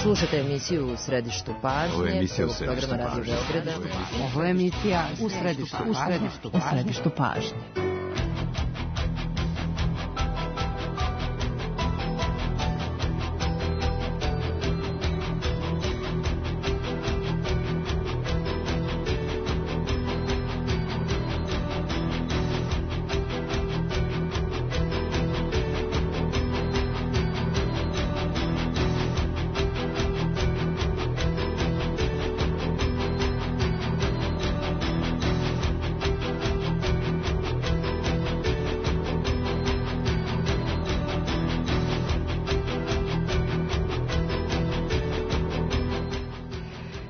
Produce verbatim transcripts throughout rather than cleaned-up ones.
Slušate emisiju U središtu pažnje. Ovo je emisija U središtu pažnje. Radio Beograda. Ovo je emisija U središtu pažnje. U središtu pažnje.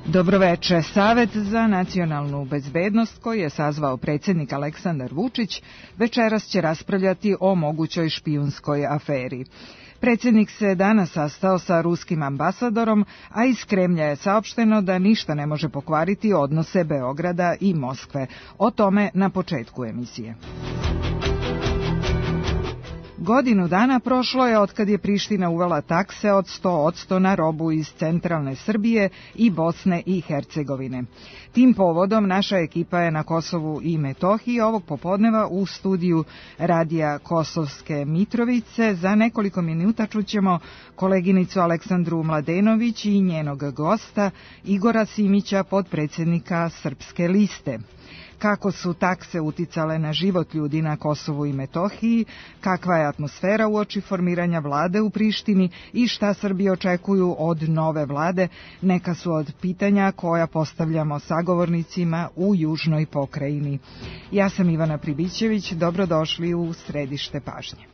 Dobroveče. Savet za nacionalnu bezbednost koji je sazvao predsjednik Aleksandar Vučić večeras će raspravljati o mogućoj špijunskoj aferi. Predsjednik se danas sastao sa ruskim ambasadorom, a iz Kremlja je saopšteno da ništa ne može pokvariti odnose Beograda i Moskve. O tome na početku emisije. Godinu dana prošlo je otkad je Priština uvela takse od sto posto na robu iz centralne Srbije i Bosne i Hercegovine. Tim povodom naša ekipa je na Kosovu i Metohiji ovog popodneva u studiju radija Kosovske Mitrovice. Za nekoliko minuta čućemo koleginicu Aleksandru Mladenović i njenog gosta Igora Simića, potpredsjednika Srpske liste. Kako su takse uticale na život ljudi na Kosovu i Metohiji, kakva je atmosfera uoči formiranja vlade u Prištini i šta Srbi očekuju od nove vlade, neka su od pitanja koja postavljamo sagovornicima u južnoj pokrajini. Ja sam Ivana Pribićević, dobrodošli u središte pažnje.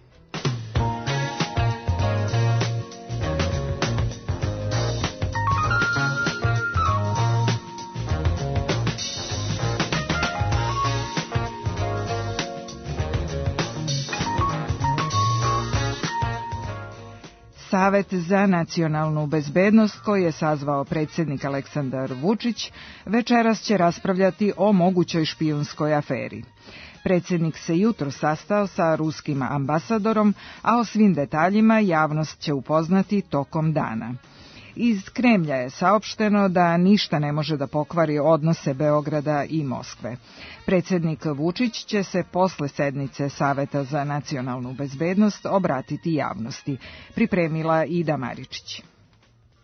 Savet za nacionalnu bezbednost koji je sazvao predsjednik Aleksandar Vučić večeras će raspravljati o mogućoj špijunskoj aferi. Predsjednik se jutro sastao sa ruskim ambasadorom, a o svim detaljima javnost će upoznati tokom dana. Iz Kremlja je saopšteno da ništa ne može da pokvari odnose Beograda i Moskve. Predsjednik Vučić će se posle sednice Saveta za nacionalnu bezbednost obratiti javnosti, pripremila Ida Maričić.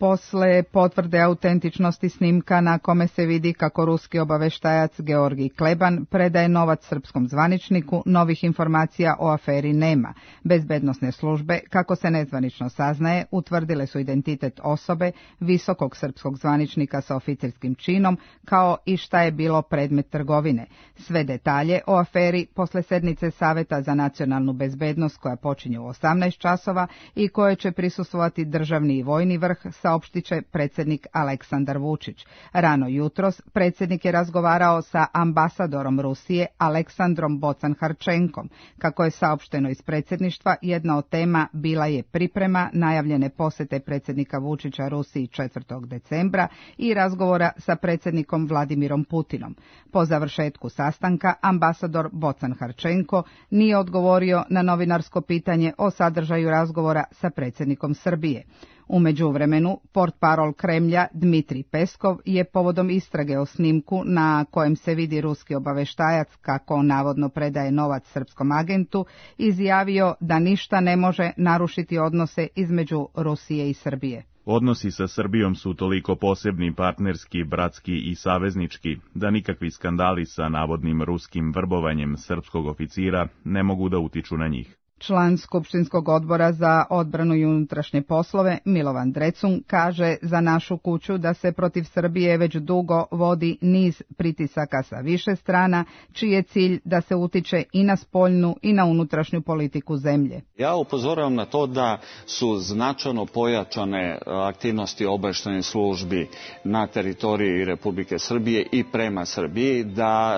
Posle potvrde autentičnosti snimka na kome se vidi kako ruski obaveštajac Georgij Kleban predaje novac srpskom zvaničniku, novih informacija o aferi nema. Bezbednosne službe, kako se nezvanično saznaje, utvrdile su identitet osobe, visokog srpskog zvaničnika sa oficerskim činom, kao i šta je bilo predmet trgovine. Sve detalje o aferi posle sednice Saveta za nacionalnu bezbednost koja počinje u osamnaest časova i koje će prisustvovati državni i vojni vrh, saopštit će predsjednik Aleksandar Vučić. Rano jutros predsjednik je razgovarao sa ambasadorom Rusije Aleksandrom Bocan-Harčenkom. Kako je saopšteno iz predsjedništva, jedna od tema bila je priprema najavljene posjete predsjednika Vučića Rusiji četvrtog decembra i razgovora sa predsjednikom Vladimirom Putinom. Po završetku sastanka ambasador Bocan-Harčenko nije odgovorio na novinarsko pitanje o sadržaju razgovora sa predsjednikom Srbije. U međuvremenu, portparol Kremlja Dmitrij Peskov je povodom istrage o snimku na kojem se vidi ruski obaveštajac kako navodno predaje novac srpskom agentu izjavio da ništa ne može narušiti odnose između Rusije i Srbije. Odnosi sa Srbijom su toliko posebni, partnerski, bratski i saveznički, da nikakvi skandali sa navodnim ruskim vrbovanjem srpskog oficira ne mogu da utiču na njih. Član Skupštinskog odbora za odbranu i unutrašnje poslove Milovan Drecun kaže za našu kuću da se protiv Srbije već dugo vodi niz pritisaka sa više strana, čiji je cilj da se utiče i na spoljnu i na unutrašnju politiku zemlje. Ja upozoravam na to da su značajno pojačane aktivnosti obavještajnih službi na teritoriji Republike Srbije i prema Srbiji, da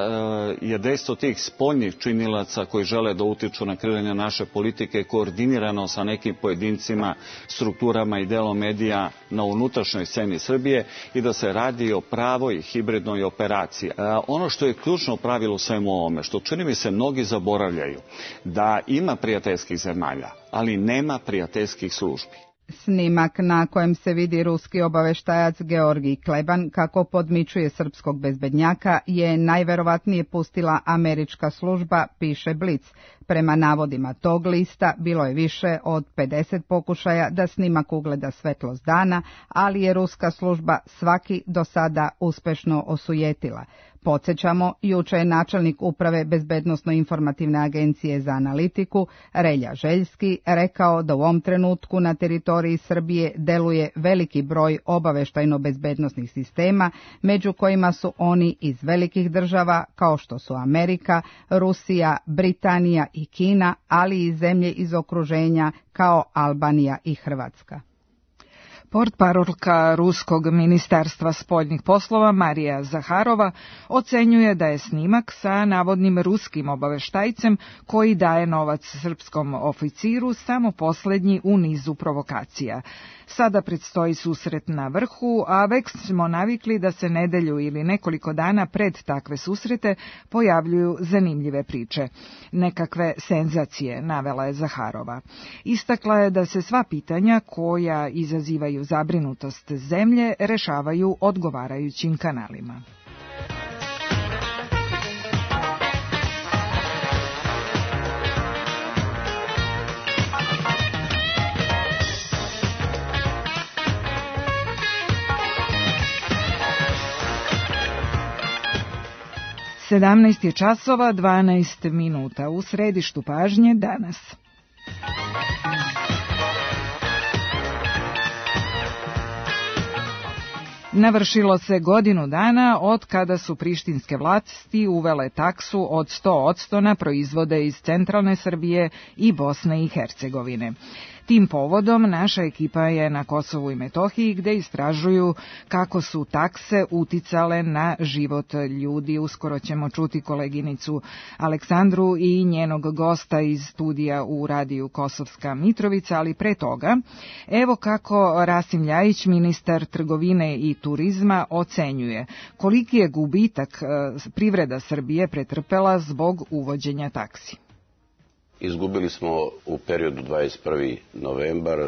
je dejstvo tih spoljnih činilaca koji žele da utiču na kreiranje naše politike koordinirano sa nekim pojedincima, strukturama i delom medija na unutrašnjoj sceni Srbije i da se radi o pravoj hibridnoj operaciji. Ono što je ključno pravilo u svemu ovome, što čini mi se mnogi zaboravljaju, da ima prijateljskih zemalja, ali nema prijateljskih službi. Snimak na kojem se vidi ruski obaveštajac Georgij Kleban kako podmićuje srpskog bezbednjaka je najverovatnije pustila američka služba, piše Blic. Prema navodima tog lista bilo je više od pedeset pokušaja da snimak ugleda svetlost dana, ali je ruska služba svaki do sada uspešno osujetila. Podsjećamo, juče je načelnik uprave Bezbednosno-informativne agencije za analitiku, Relja Željski, rekao da u ovom trenutku na teritoriji Srbije deluje veliki broj obaveštajno-bezbednosnih sistema, među kojima su oni iz velikih država kao što su Amerika, Rusija, Britanija i Kina, ali i zemlje iz okruženja kao Albanija i Hrvatska. Portparolka Ruskog ministarstva spoljnih poslova Marija Zaharova ocenjuje da je snimak sa navodnim ruskim obaveštajcem koji daje novac srpskom oficiru samo poslednji u nizu provokacija. Sada predstoji susret na vrhu, a već smo navikli da se nedelju ili nekoliko dana pred takve susrete pojavljuju zanimljive priče. Nekakve senzacije, navela je Zaharova. Istakla je da se sva pitanja koja izazivaju zabrinutost zemlje rešavaju odgovarajućim kanalima. sedamnaest je časova, dvanaest minuta u središtu pažnje danas. Navršilo se godinu dana od kada su prištinske vlasti uvele taksu od sto posto na proizvode iz centralne Srbije i Bosne i Hercegovine. Tim povodom naša ekipa je na Kosovu i Metohiji gde istražuju kako su takse uticale na život ljudi. Uskoro ćemo čuti koleginicu Aleksandru i njenog gosta iz studija u radiju Kosovska Mitrovica, ali pre toga, evo kako Rasim Ljajić, ministar trgovine i turizma, ocenjuje koliki je gubitak privreda Srbije pretrpela zbog uvođenja taksi. Izgubili smo u periodu dvadeset prvi novembar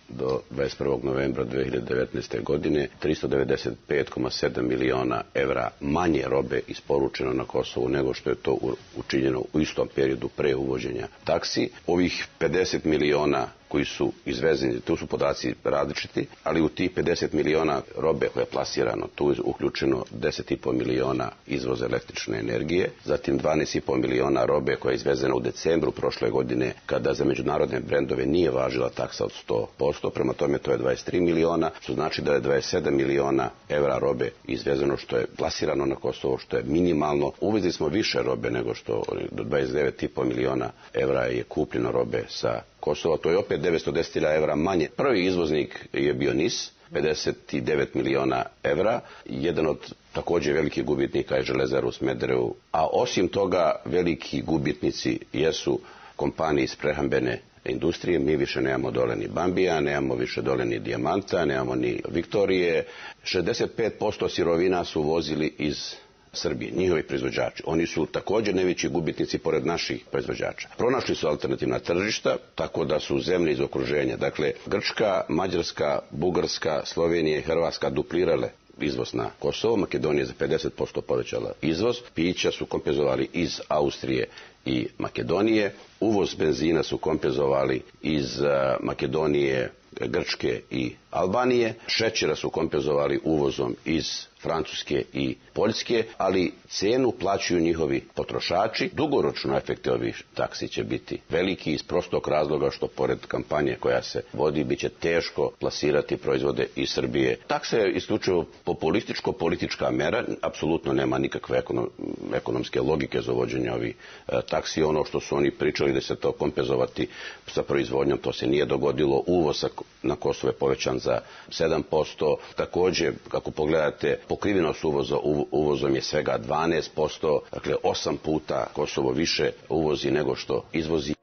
do dvadeset prvog novembra dve hiljade devetnaeste. godine tristo devedeset pet zarez sedam miliona evra manje robe isporučeno na Kosovu nego što je to učinjeno u istom periodu pre uvođenja taksi. Ovih pedeset miliona koji su izvezeni, tu su podaci različiti, ali u tih pedeset miliona robe koje je plasirano, tu je uključeno deset zarez pet miliona izvoza električne energije, zatim dvanaest zarez pet miliona robe koja je izvezena u decembru prošle godine, kada za međunarodne brendove nije važila taksa od sto posto, prema tome to je dvadeset tri miliona, što znači da je dvadeset sedam miliona evra robe izvezeno, što je plasirano na Kosovo, što je minimalno. Uvezli smo više robe nego što, do dvadeset devet zarez pet miliona evra je kupljeno robe sa Kosova, to je opet devetsto deset hiljada evra manje. Prvi izvoznik je bio N I S, pedeset devet miliona evra. Jedan od također velikih gubitnika je Železara u Smederevu. A osim toga, veliki gubitnici jesu kompanije iz prehrambene industrije. Mi više nemamo dole ni Bambija, nemamo više dole ni Dijamanta, nemamo ni Viktorije. šezdeset pet posto sirovina su uvozili iz Srbije, njihovi proizvođači. Oni su također najveći gubitnici pored naših proizvođača. Pronašli su alternativna tržišta, tako da su zemlje iz okruženja, dakle Grčka, Mađarska, Bugarska, Slovenija i Hrvatska duplirale izvoz na Kosovo. Makedonija za pedeset posto povećala izvoz. Pića su kompenzovali iz Austrije i Makedonije. Uvoz benzina su kompenzovali iz Makedonije, Grčke i Albanije. Šećera su kompenzovali uvozom iz Francuske i Poljske, ali cenu plaćaju njihovi potrošači. Dugoročno efekte ovih taksi će biti veliki iz prostog razloga što pored kampanje koja se vodi biće teško plasirati proizvode iz Srbije. Taksa je isključivo populističko-politička mera, apsolutno nema nikakve ekonom, ekonomske logike za uvođenje ovih e, taksi. Ono što su oni pričali da se to kompenzovati sa proizvodnjom, to se nije dogodilo. Uvoz na Kosovo je povećan za sedam posto. Također, kako pogledate, pokrivenost uvoza uvozom je svega dvanaest posto, dakle osam puta Kosovo više uvozi nego što izvozi.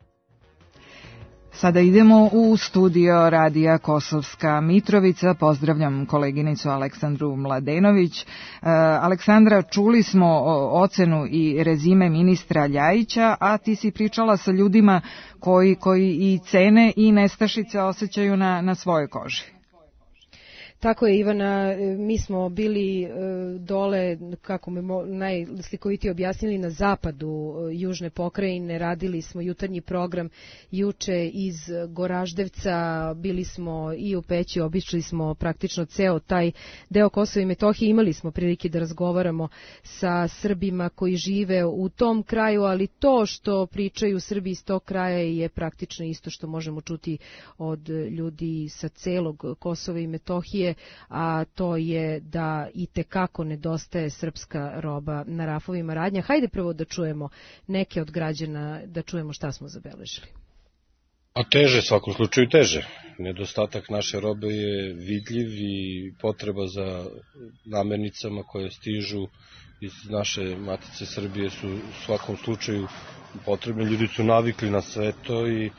Sada idemo u studio Radija Kosovska Mitrovica. Pozdravljam koleginicu Aleksandru Mladenović. E, Aleksandra, čuli smo ocenu i rezime ministra Ljajića, a ti si pričala sa ljudima koji, koji i cene i nestašice osjećaju na, na svojoj koži. Tako je, Ivana, mi smo bili dole, kako mi najslikovitije objasnili, na zapadu južne pokrajine, radili smo jutarnji program juče iz Goraždevca, bili smo i u Peći, obišli smo praktično ceo taj deo Kosova i Metohije, imali smo prilike da razgovaramo sa Srbima koji žive u tom kraju, ali to što pričaju Srbi iz tog kraja je praktično isto što možemo čuti od ljudi sa celog Kosova i Metohije, a to je da i tekako nedostaje srpska roba na rafovima radnja. Hajde prvo da čujemo neke od građana, da čujemo šta smo zabeležili. A teže, svakom slučaju teže. Nedostatak naše robe je vidljiv i potreba za namirnicama koje stižu iz naše matice Srbije su u svakom slučaju potrebne. Ljudi su navikli na sve to i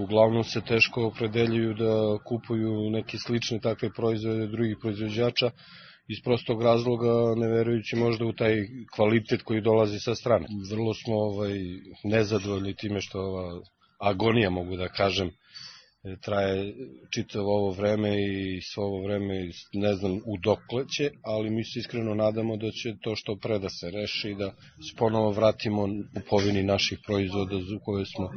uglavnom se teško opredeljuju da kupuju neke slične takve proizvode drugih proizvođača iz prostog razloga, ne verujući možda u taj kvalitet koji dolazi sa strane. Vrlo smo ovaj, nezadovoljni time što ova agonija, mogu da kažem, traje čitavo ovo vreme i svo ovo vreme ne znam u dokle će, ali mi se iskreno nadamo da će to što pre da se reši i da se ponovo vratimo kupovini naših proizvoda za koje smo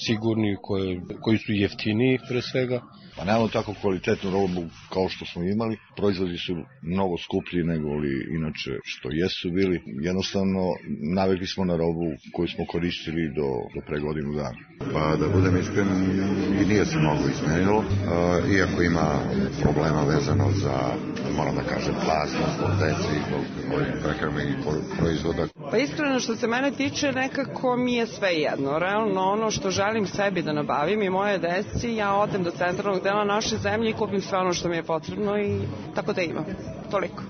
sigurni, koje, koji su jeftiniji pre svega. Pa nemamo tako kvalitetnu robu kao što smo imali, proizvodi su mnogo skuplji nego li inače što jesu bili. Jednostavno navikli smo na robu koju smo koristili do, do pre godinu dana. Pa da budem iskren, i nije se mnogo izmenilo, iako ima problema vezano za, moram da kažem, plasnost od deci i ovih prehrambenih proizvoda. Pa iskreno što se mene tiče, nekako mi je sve jedno. Realno ono što želim sebi da nabavim i moje deci, ja odem do centralnog dela naše zemlje i kupim sve ono što mi je potrebno i tako da imam. Toliko.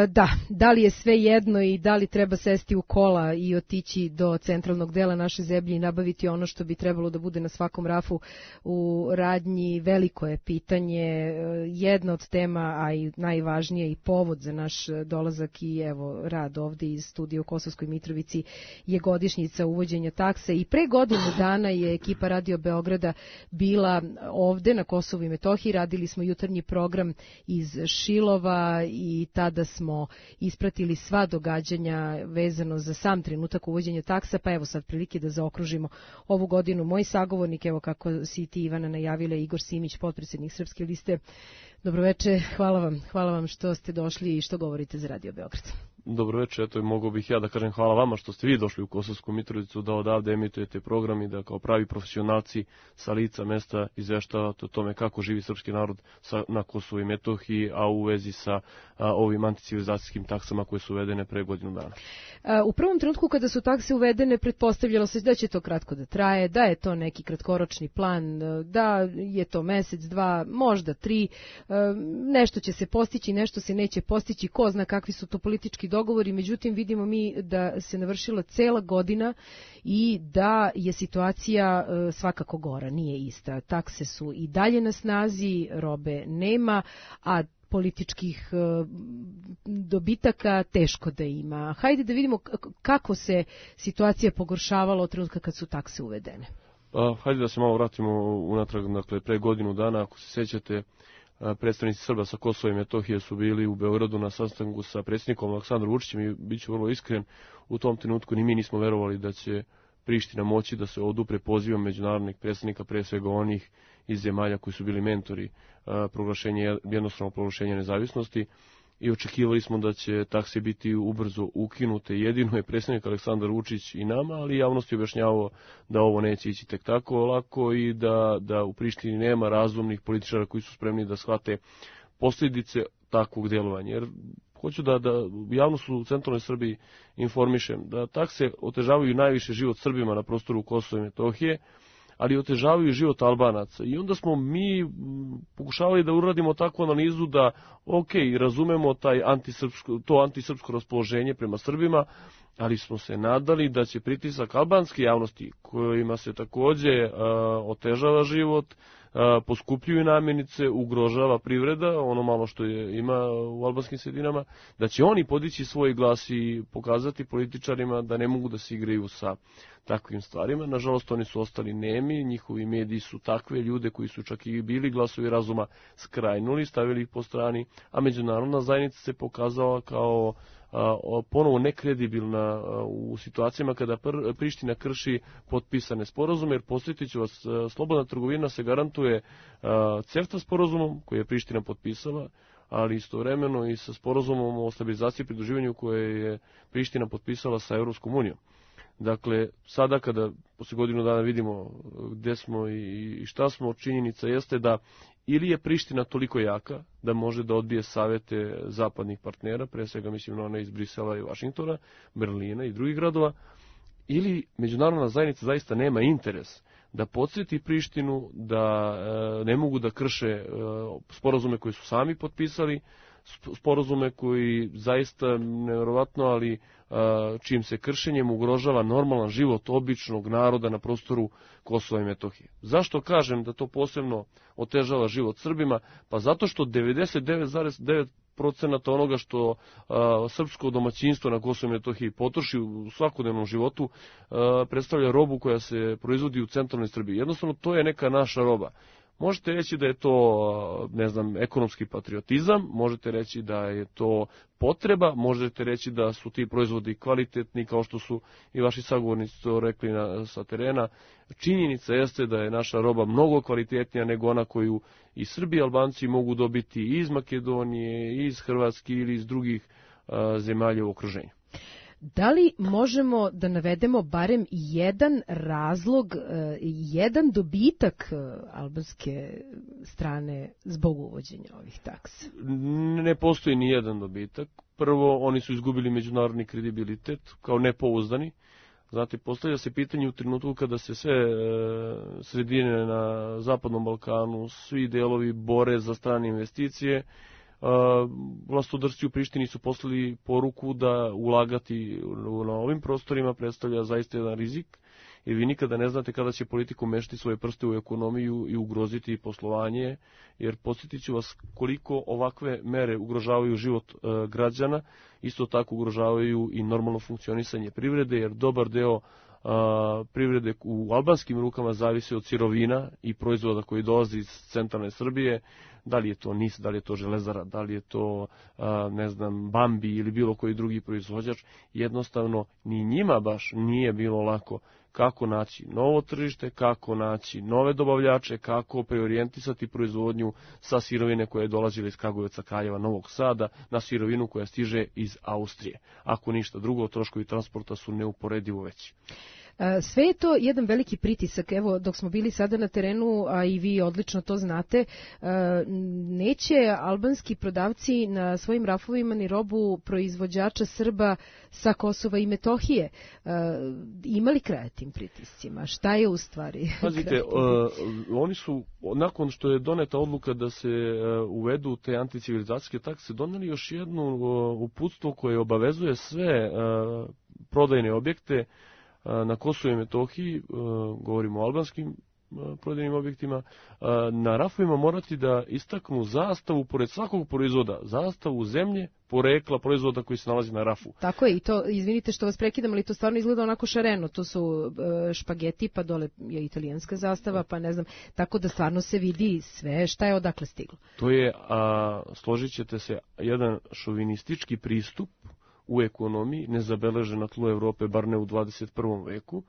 Da, da li je sve jedno i da li treba sesti u kola i otići do centralnog dela naše zemlje i nabaviti ono što bi trebalo da bude na svakom rafu u radnji, veliko je pitanje. Jedna od tema, a i najvažnije i povod za naš dolazak i evo rad ovde iz studija u Kosovskoj Mitrovici je godišnjica uvođenja takse i pre godinu dana je ekipa Radio Beograda bila ovde na Kosovu i Metohiji, radili smo jutarnji program iz Šilova i tada smo ispratili sva događanja vezano za sam trenutak uvođenja taksa, pa evo sad prilike da zaokružimo ovu godinu. Moj sagovornik, evo kako si ti Ivana najavila, Igor Simić, potpredsjednik Srpske liste. Dobroveče, hvala vam, hvala vam što ste došli i što govorite za Radio Beograd. Dobroveče, eto i mogu bih ja da kažem hvala vama što ste vi došli u Kosovsku Mitrovicu da odavde emitujete program i da kao pravi profesionalci sa lica mesta izveštavate o tome kako živi srpski narod sa, na Kosovu i Metohiji, a u vezi sa a, ovim anticivilizacijskim taksama koje su uvedene pre godinu dana. U prvom trenutku kada su takse uvedene pretpostavljalo se da će to kratko da traje, da je to neki kratkoročni plan, da je to mesec, dva, možda tri, nešto će se postići, nešto se neće postići, ko zna kakvi su to politički dogovori, međutim vidimo mi da se navršila cela godina i da je situacija svakako gora, nije ista. Takse su i dalje na snazi, robe nema, a političkih dobitaka teško da ima. Hajde da vidimo kako se situacija pogoršavala od trenutka kad su takse uvedene. Pa, hajde da se malo vratimo unatrag, dakle, pre godinu dana, ako se sjećate, predstavnici Srba sa Kosova i Metohije su bili u Beogradu na sastanku sa predsjednikom Aleksandrom Vučićem i bit ću vrlo iskren, u tom trenutku ni mi nismo verovali da će Priština moći da se odupre pozivom međunarodnih predstavnika, pre svega onih iz zemalja koji su bili mentori proglašenja, jednostavno proglašenja nezavisnosti, i očekivali smo da će takse biti ubrzo ukinute. Jedino je predsjednik Aleksandar Vučić i nama, ali javnosti objašnjavao da ovo neće ići tek tako lako i da, da u Prištini nema razumnih političara koji su spremni da shvate posljedice takvog djelovanja. Jer hoću da, da javnost u centralnoj Srbiji informišem da takse otežavaju najviše život Srbima na prostoru Kosova i Metohije, ali otežavaju život Albanaca. I onda smo mi pokušavali da uradimo takvu analizu da, ok, razumemo taj antisrpsko, to antisrpsko raspoloženje prema Srbima, ali smo se nadali da će pritisak albanske javnosti, kojima se takođe uh, otežava život, uh, poskupljuju namirnice, ugrožava privreda, ono malo što je, ima u albanskim sredinama, da će oni podići svoj glas i pokazati političarima da ne mogu da se igraju sa takvim stvarima. Nažalost, oni su ostali nemi, njihovi mediji su takve ljude koji su čak i bili glasovi razuma skrajnuli, stavili ih po strani, a međunarodna zajednica se pokazala kao a, ponovo nekredibilna a, u situacijama kada pr, Priština krši potpisane sporazume, jer posjetit ću vas, a, slobodna trgovina se garantuje a, CEFTA sporazumom koji je Priština potpisala, ali istovremeno i sa sporazumom o stabilizaciji i pridruživanju koje je Priština potpisala sa Evropskom unijom. Dakle, sada kada posle godinu dana vidimo gde smo i šta smo, činjenica jeste da ili je Priština toliko jaka da može da odbije savete zapadnih partnera, pre svega mislim na one iz Brisela i Vašingtona, Berlina i drugih gradova, ili međunarodna zajednica zaista nema interes da podsjeti Prištinu da e, ne mogu da krše e, sporazume koje su sami potpisali, sporazume koji zaista nevjerovatno, ali čijim se kršenjem ugrožava normalan život običnog naroda na prostoru Kosova i Metohije. Zašto kažem da to posebno otežava život Srbima? Pa zato što devedeset devet zarez devet procenata onoga što a, srpsko domaćinstvo na Kosovu i Metohiji potroši u svakodnevnom životu a, predstavlja robu koja se proizvodi u centralnoj Srbiji. Jednostavno, to je neka naša roba. Možete reći da je to, ne znam, ekonomski patriotizam, možete reći da je to potreba, možete reći da su ti proizvodi kvalitetni, kao što su i vaši sagovornici to rekli na, sa terena. Činjenica jeste da je naša roba mnogo kvalitetnija nego ona koju i Srbi i Albanci mogu dobiti i iz Makedonije, i iz Hrvatske ili iz drugih a, zemalja u okruženju. Da li možemo da navedemo barem jedan razlog, jedan dobitak albanske strane zbog uvođenja ovih taksa? Ne postoji ni jedan dobitak. Prvo, oni su izgubili međunarodni kredibilitet kao nepouzdani. Znate, postavlja se pitanje u trenutku kada se sve sredine na Zapadnom Balkanu, svi delovi bore za strane investicije. Vlastodršci u Prištini su poslali poruku da ulagati na ovim prostorima predstavlja zaista jedan rizik, jer vi nikada ne znate kada će politika umešati svoje prste u ekonomiju i ugroziti poslovanje, jer podsjetit ću vas koliko ovakve mere ugrožavaju život e, građana, isto tako ugrožavaju i normalno funkcionisanje privrede, jer dobar deo a, privrede u albanskim rukama zavisi od sirovina i proizvoda koji dolazi iz centralne Srbije. Da li je to N I S, da li je to Železara, da li je to, a, ne znam, Bambi ili bilo koji drugi proizvođač, jednostavno ni njima baš nije bilo lako kako naći novo tržište, kako naći nove dobavljače, kako preorijentisati proizvodnju sa sirovine koje je dolazila iz Kragujevca, Kraljeva, Novog Sada na sirovinu koja stiže iz Austrije. Ako ništa drugo, troškovi transporta su neuporedivo veći. Sve je to jedan veliki pritisak. Evo, dok smo bili sada na terenu, a i vi odlično to znate, neće albanski prodavci na svojim rafovima ni robu proizvođača Srba sa Kosova i Metohije. Ima li kraja tim pritiscima? Šta je u stvari? Pazite, uh, oni su, nakon što je doneta odluka da se uh, uvedu te anticivilizacijske takse, doneli još jednu uh, uputstvo koje obavezuje sve uh, prodajne objekte na Kosovu i Metohiji, govorimo o albanskim prodajnim objektima, na rafovima morati da istaknu zastavu pored svakog proizvoda, zastavu zemlje, porekla proizvoda koji se nalazi na rafu. Tako je, i to, izvinite što vas prekidam, ali to stvarno izgleda onako šareno, to su špageti, pa dole je italijanska zastava, pa ne znam, tako da stvarno se vidi sve šta je odakle stiglo. To je, a, složit ćete se, jedan šovinistički pristup u ekonomiji, nezabeležen na tlu Evrope, bar ne u dvadeset prvom veku,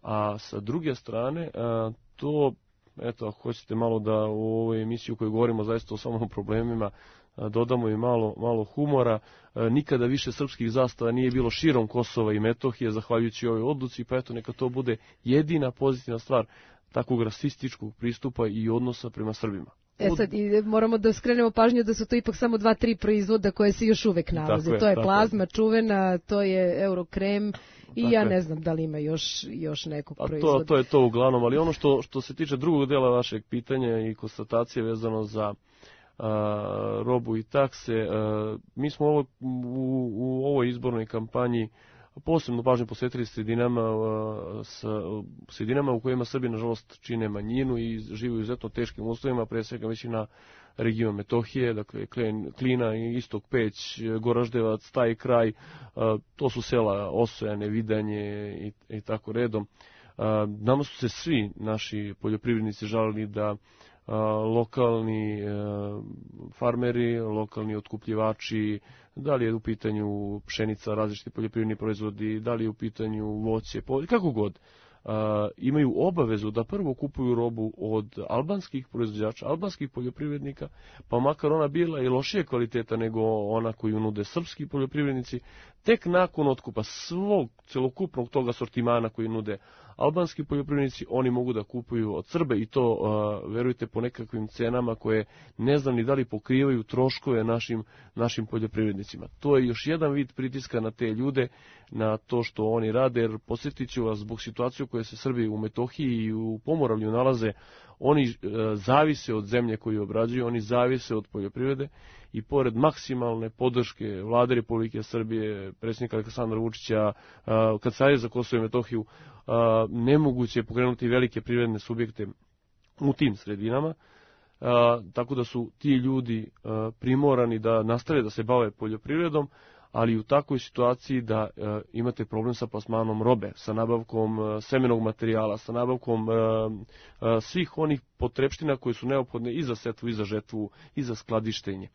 a sa druge strane, a, to, eto, ako hoćete malo da u ovoj emisiji u kojoj govorimo zaista o samom problemima, a, dodamo i malo, malo humora, a, nikada više srpskih zastava nije bilo širom Kosova i Metohije, zahvaljujući ovoj odluci, pa eto, neka to bude jedina pozitivna stvar takvog rasističkog pristupa i odnosa prema Srbima. E sad, moramo da skrenemo pažnju da su to ipak samo dva, tri proizvoda koje se još uvek nalaze. Je, to je plazma je. čuvena, to je Eurokrem i tako ja je. ne znam da li ima još, još nekog A proizvoda. To, to je to uglavnom, ali ono što, što se tiče drugog dela vašeg pitanja i konstatacije vezano za a, robu i takse, a, mi smo ovo, u, u ovoj izbornoj kampanji posebno pažnju posvetili sredinama, sa, sredinama u kojima Srbi, nažalost, čine manjinu i žive u izuzetno teškim uslovima, pre svega mislim na region Metohije, dakle Klina, Istok, Peć, Goraždevac, taj kraj, to su sela Osojane, Vidanje i, i tako redom. Nama su se svi naši poljoprivrednici žalili da lokalni farmeri, lokalni otkupljivači, da li je u pitanju pšenica, različiti poljoprivredni proizvodi, da li je u pitanju voće, kako god, imaju obavezu da prvo kupuju robu od albanskih proizvođača, albanskih poljoprivrednika, pa makar ona bila i lošije kvaliteta nego ona koju nude srpski poljoprivrednici, tek nakon otkupa svog celokupnog toga sortimana koji nude albanski poljoprivrednici, oni mogu da kupuju od Srbe i to, uh, verujte, po nekakvim cenama koje ne znam ni da li pokrivaju troškove našim, našim poljoprivrednicima. To je još jedan vid pritiska na te ljude, na to što oni rade, jer podsjetit ću vas, zbog situacije u kojoj se Srbi u Metohiji i u Pomoravlju nalaze, oni uh, zavise od zemlje koju obrađuju, oni zavise od poljoprivrede i pored maksimalne podrške Vlade Republike Srbije, predsjednika Aleksandra Vučića, uh, Kancelarije za Kosovo i Metohiju, Uh, nemoguće je pokrenuti velike privredne subjekte u tim sredinama, uh, tako da su ti ljudi uh, primorani da nastave da se bave poljoprivredom, ali u takvoj situaciji da uh, imate problem sa plasmanom robe, sa nabavkom uh, semenog materijala, sa nabavkom uh, uh, svih onih potrepština koje su neophodne i za setvu, i za žetvu, i za skladištenje.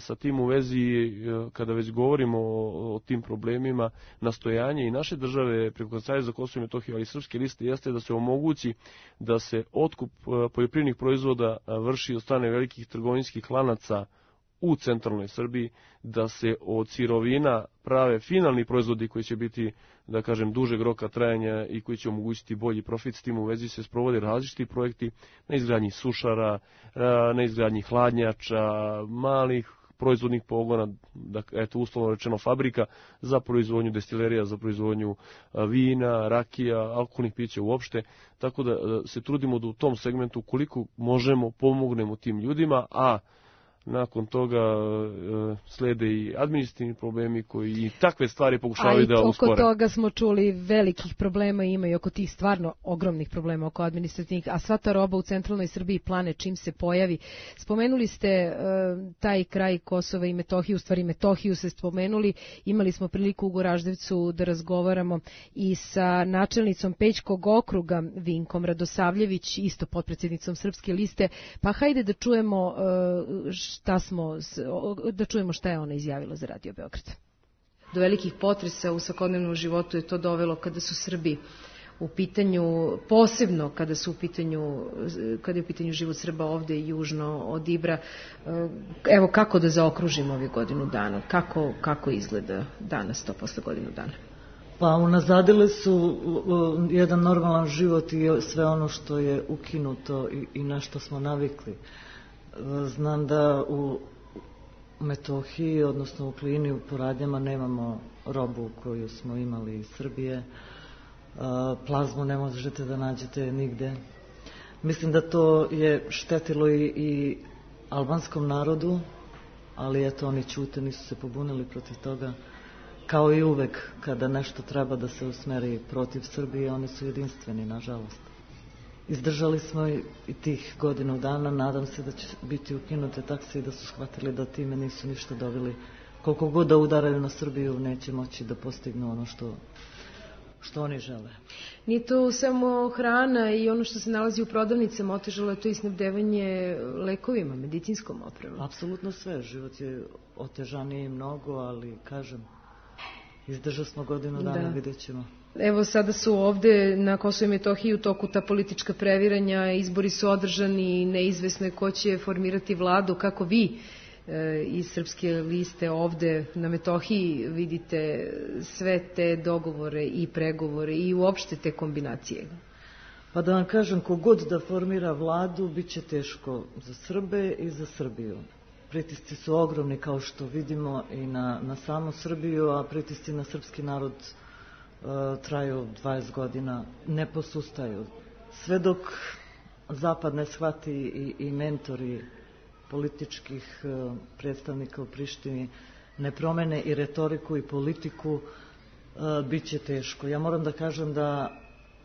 Sa tim u vezi, kada već govorimo o, o tim problemima, nastojanje i naše države preko Kancelarije za Kosovo i Metohiju, ali i Srpske liste, jeste da se omogući da se otkup poljoprivrednih proizvoda vrši od strane velikih trgovinskih lanaca u centralnoj Srbiji, da se od sirovina prave finalni proizvodi koji će biti, da kažem, dužeg roka trajanja i koji će omogućiti bolji profit. S tim u vezi se sprovode različiti projekti na izgradnji sušara, na izgradnji hladnjača, malih proizvodnih pogona, da, eto, uslovno rečeno fabrika za proizvodnju destilerija, za proizvodnju vina, rakija, alkoholnih pića uopšte, tako da se trudimo da u tom segmentu koliko možemo pomognemo tim ljudima, a nakon toga e, slede i administrativni problemi koji i takve stvari pokušavaju da uspore. A i oko toga smo čuli velikih problema i ima i oko tih stvarno ogromnih problema oko administrativnih, a sva ta roba u centralnoj Srbiji plane čim se pojavi. Spomenuli ste e, taj kraj Kosova i Metohiju, u stvari Metohiju ste spomenuli, imali smo priliku u Goraždevcu da razgovaramo i sa načelnicom Pećkog okruga Vinkom Radosavljević, isto potpredsjednicom Srpske liste, pa hajde da čujemo e, šta smo, da čujemo šta je ona izjavila za Radio Beograd. Do velikih potresa u svakodnevnom životu je to dovelo kada su Srbi u pitanju, posebno kada su u pitanju, kada je u pitanju život Srba ovde južno od Ibra. Evo kako da zaokružimo ovih godinu dana, kako, kako izgleda danas to posle godinu dana? Pa unazadile su jedan normalan život i sve ono što je ukinuto i, i na što smo navikli. Znam da u Metohiji, odnosno u Klini, u Poradnjama nemamo robu koju smo imali iz Srbije. Plazmu ne možete da nađete nigde. Mislim da to je štetilo i, i albanskom narodu, ali eto, oni ćute, nisu se pobunili protiv toga. Kao i uvek, kada nešto treba da se usmeri protiv Srbije, oni su jedinstveni, nažalost. Izdržali smo i tih godinu dana, nadam se da će biti ukinute takse i da su shvatili da time nisu ništa dobili. Koliko god da udaraju na Srbiju, neće moći da postignu ono što, što oni žele. Nije to samo hrana i ono što se nalazi u prodavnicama, otežalo je to i snabdevanje lekovima, medicinskom opremom. Apsolutno sve, život je otežaniji mnogo, ali kažem, izdržali smo godinu dana, da. Vidjet ćemo. Evo sada su ovde na Kosovu i Metohiji u toku ta politička previranja, izbori su održani, neizvesno je ko će formirati vladu. Kako vi e, iz Srpske liste ovde na Metohiji vidite sve te dogovore i pregovore i uopšte te kombinacije? Pa da vam kažem, kogod da formira vladu, bit će teško za Srbe i za Srbiju. Pritisci su ogromni, kao što vidimo, i na, na samu Srbiju, a pritisci na srpski narod traju dvadeset godina, ne posustaju. Sve dok Zapad ne shvati i, i mentori političkih predstavnika u Prištini ne promene i retoriku i politiku, bit će teško. Ja moram da kažem da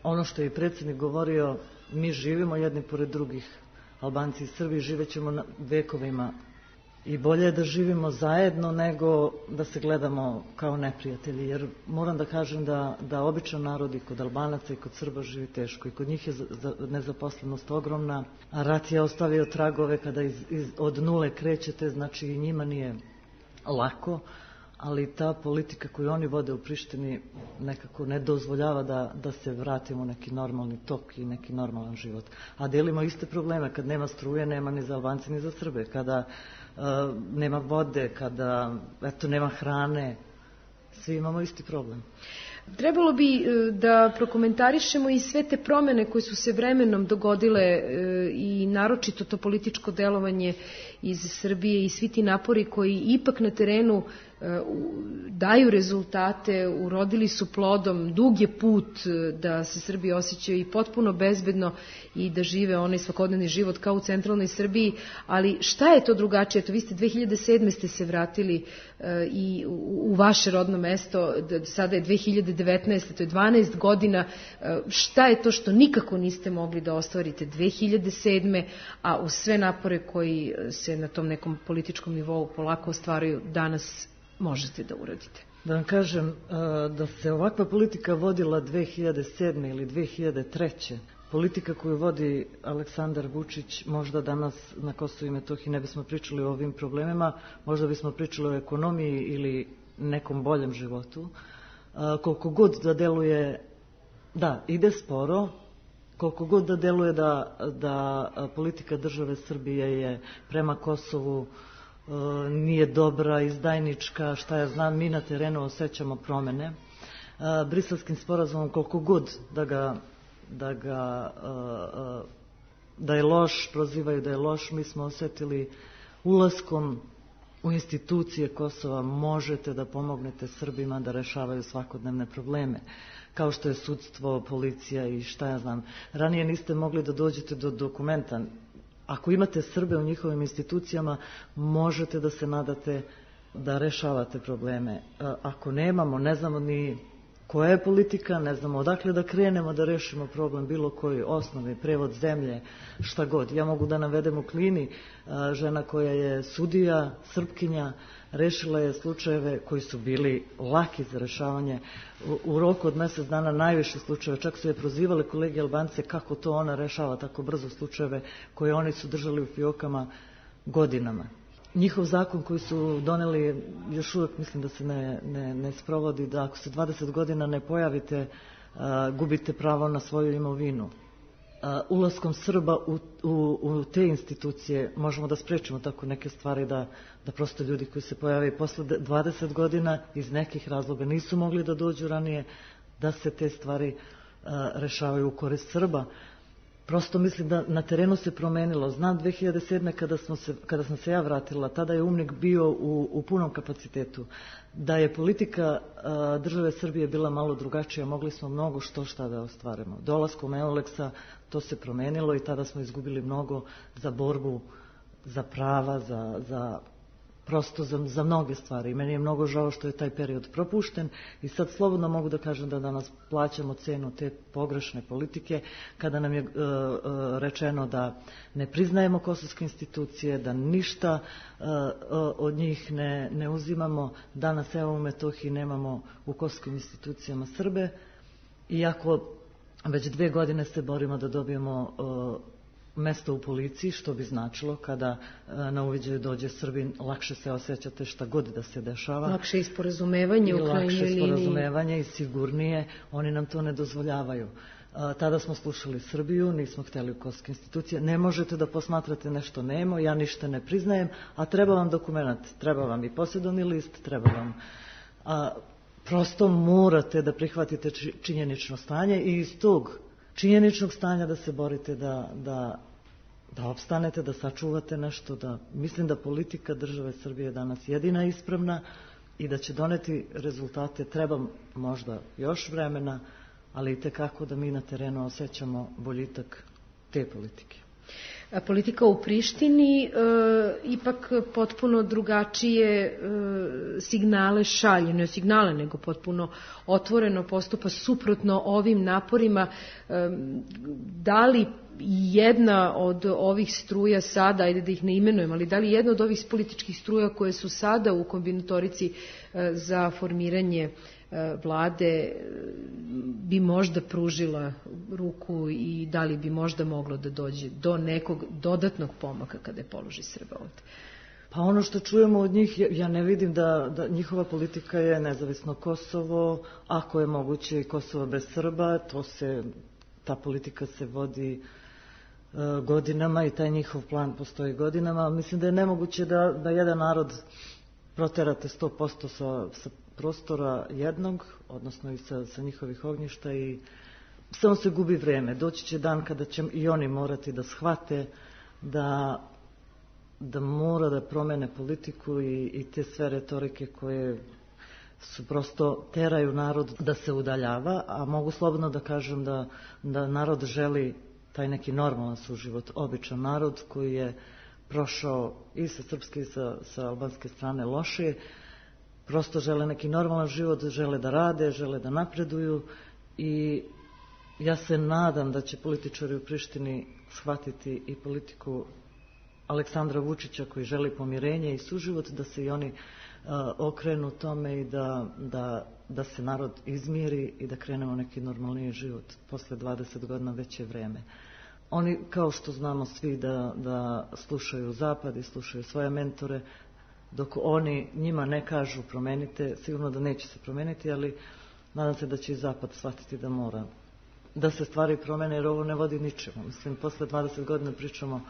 ono što je i predsjednik govorio, mi živimo jedni pored drugih, Albanci i Srbi, živećemo vekovima i bolje je da živimo zajedno nego da se gledamo kao neprijatelji, jer moram da kažem da, da običan narod i kod Albanaca i kod Srba živi teško i kod njih je nezaposlenost ogromna, a rat je ostavio tragove kada iz, iz, od nule krećete, znači i njima nije lako, ali ta politika koju oni vode u Prištini nekako ne dozvoljava da, da se vratimo u neki normalni tok i neki normalan život. A delimo iste probleme, kad nema struje, nema ni za Albance ni za Srbe, kada uh, nema vode, kada eto, nema hrane, svi imamo isti problem. Trebalo bi da prokomentarišemo i sve te promene koje su se vremenom dogodile i naročito to političko delovanje iz Srbije i svi ti napori koji ipak na terenu daju rezultate, urodili su plodom, dug je put da se Srbi osjećaju i potpuno bezbedno i da žive onaj svakodnevni život kao u centralnoj Srbiji, ali šta je to drugačije? To vi ste dve hiljade sedme ste se vratili i u vaše rodno mesto, sada je dve hiljade devetnaeste to je dvanaest godina, šta je to što nikako niste mogli da ostvarite dve hiljade sedme a uz sve napore koji se na tom nekom političkom nivou polako ostvaruju danas možete da uradite? Da vam kažem, da se ovakva politika vodila dve hiljade sedme ili dve hiljade treće politika koju vodi Aleksandar Vučić, možda danas na Kosovu i Metohiji ne bismo pričali o ovim problemima, možda bismo pričali o ekonomiji ili nekom boljem životu. Koliko god da deluje, da, ide sporo, koliko god da deluje da, da politika države Srbije je prema Kosovu nije dobra, izdajnička, šta ja znam, mi na terenu osjećamo promene. Briselskim sporazumom, koliko god da ga, da ga da je loš, prozivaju da je loš, mi smo osjetili ulaskom u institucije Kosova možete da pomognete Srbima da rešavaju svakodnevne probleme, kao što je sudstvo, policija i šta ja znam. Ranije niste mogli da dođete do dokumenta. Ako imate Srbe u njihovim institucijama, možete da se nadate da rešavate probleme. Ako nemamo, ne znamo ni koja je politika, ne znamo odakle da krenemo da rešimo problem, bilo koji osnovi, prevod zemlje, šta god. Ja mogu da navedem u Klini, žena koja je sudija, Srpkinja, rešila je slučajeve koji su bili laki za rešavanje. U, u roku od mjesec dana najviše slučajeva, čak su je prozivale kolege Albance kako to ona rešava tako brzo slučajeve koje oni su držali u fiokama godinama. Njihov zakon koji su doneli još uvijek mislim da se ne, ne, ne sprovodi, da ako se dvadeset godina ne pojavite, a, gubite pravo na svoju imovinu. A, ulaskom Srba u, u, u te institucije možemo da sprečimo tako neke stvari da, da prosto ljudi koji se pojave posle dvadeset godina iz nekih razloga nisu mogli da dođu ranije, da se te stvari a, rešavaju u korist Srba. Prosto mislim da na terenu se promenilo. Znam dve hiljade sedme kada, smo se, kada sam se ja vratila, tada je UMNIK bio u, u punom kapacitetu. Da je politika a, države Srbije bila malo drugačija, mogli smo mnogo što šta da ostvarimo. Dolaskom Euleksa to se promenilo i tada smo izgubili mnogo za borbu, za prava, za, za prosto za, za mnoge stvari. I meni je mnogo žao što je taj period propušten i sad slobodno mogu da kažem da danas plaćamo cenu te pogrešne politike kada nam je uh, uh, rečeno da ne priznajemo kosovske institucije, da ništa uh, uh, od njih ne, ne uzimamo. Danas evo u Metohiji nemamo u kosovskim institucijama Srbe, iako već dve godine se borimo da dobijemo uh, mesto u policiji, što bi značilo kada na uviđaju dođe Srbin, lakše se osjećate šta god da se dešava. Lakše i sporazumevanje u krajnjoj liniji. Lakše sporazumevanje i sigurnije, oni nam to ne dozvoljavaju. A, tada smo slušali Srbiju, nismo hteli u kosovske institucije. Ne možete da posmatrate nešto nemo, ja ništa ne priznajem, a treba vam dokument, treba vam i posjedovni list, treba vam... A, prosto morate da prihvatite činjenično stanje i iz tog činjeničnog stanja da se borite da, da, da opstanete, da sačuvate nešto, da mislim da politika države Srbije je danas jedina ispravna i da će doneti rezultate. Treba možda još vremena, ali i tekako da mi na terenu osjećamo boljitak te politike. politika u Prištini e, ipak potpuno drugačije e, signale šalje, ne signale nego potpuno otvoreno postupa suprotno ovim naporima. E, da li jedna od ovih struja sada, ajde da ih ne imenujem, ali da li jedna od ovih političkih struja koje su sada u kombinatorici e, za formiranje vlade bi možda pružila ruku i da li bi možda moglo da dođe do nekog dodatnog pomaka kada je položaj Srba ovde? Pa ono što čujemo od njih, ja ne vidim da, da njihova politika je nezavisno Kosovo, ako je moguće i Kosovo bez Srba, to se, ta politika se vodi uh, godinama i taj njihov plan postoji godinama. Mislim da je nemoguće da, da jedan narod proterate sto posto sa, sa prostora jednog, odnosno i sa, sa njihovih ognjišta i samo se gubi vreme. Doći će dan kada će i oni morati da shvate da, da mora da promene politiku i, i te sve retorike koje su prosto teraju narod da se udaljava, a mogu slobodno da kažem da, da narod želi taj neki normalan suživot, običan narod koji je prošao i sa srpske i sa, sa albanske strane loše, prosto žele neki normalan život, žele da rade, žele da napreduju i ja se nadam da će političari u Prištini shvatiti i politiku Aleksandra Vučića koji želi pomirenje i suživot, da se i oni uh, okrenu tome i da, da, da se narod izmiri i da krenemo neki normalniji život. Posle dvadeset godina već je vreme. Oni, kao što znamo svi, da, da slušaju Zapad i slušaju svoje mentore, dok oni njima ne kažu promenite, sigurno da neće se promeniti, ali nadam se da će i Zapad shvatiti da mora da se stvari promene, jer ovo ne vodi ničemu. Mislim, posle dvadeset godina pričamo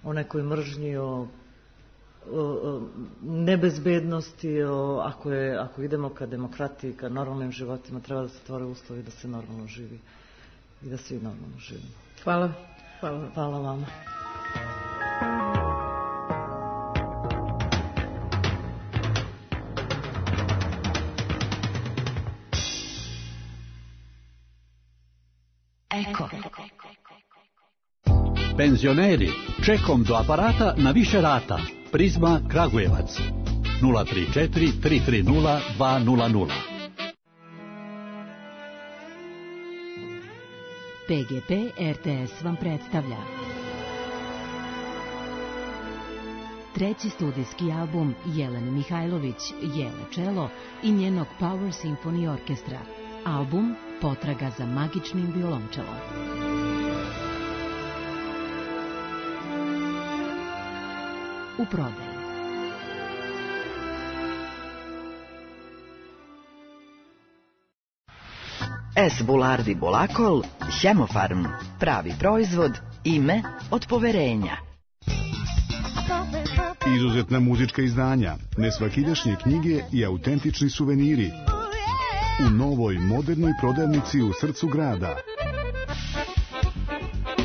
o nekoj mržnji, o, o, o nebezbednosti, o, ako, je, ako idemo ka demokratiji, ka normalnim životima, treba da se stvore uslovi da se normalno živi i da svi normalno živimo. Hvala. Hvala, Hvala vama. Eko. Penzioneri, čekom do aparata na više rata. Prizma Kragujevac. nula tri četiri tri tri nula dva nula nula. P G P R T S vam predstavlja treći studijski album Jelene Mihajlović, Jele Čelo i njenog Power Symphony Orkestra. Album Potraga za magičnim violončelom. U prodaji. S. Bulardi Bolakol, Hemofarm, pravi proizvod, ime od poverenja. Izuzetna muzička izdanja, nesvakidašnje knjige i autentični suveniri. U novoj modernoj prodavnici u srcu grada.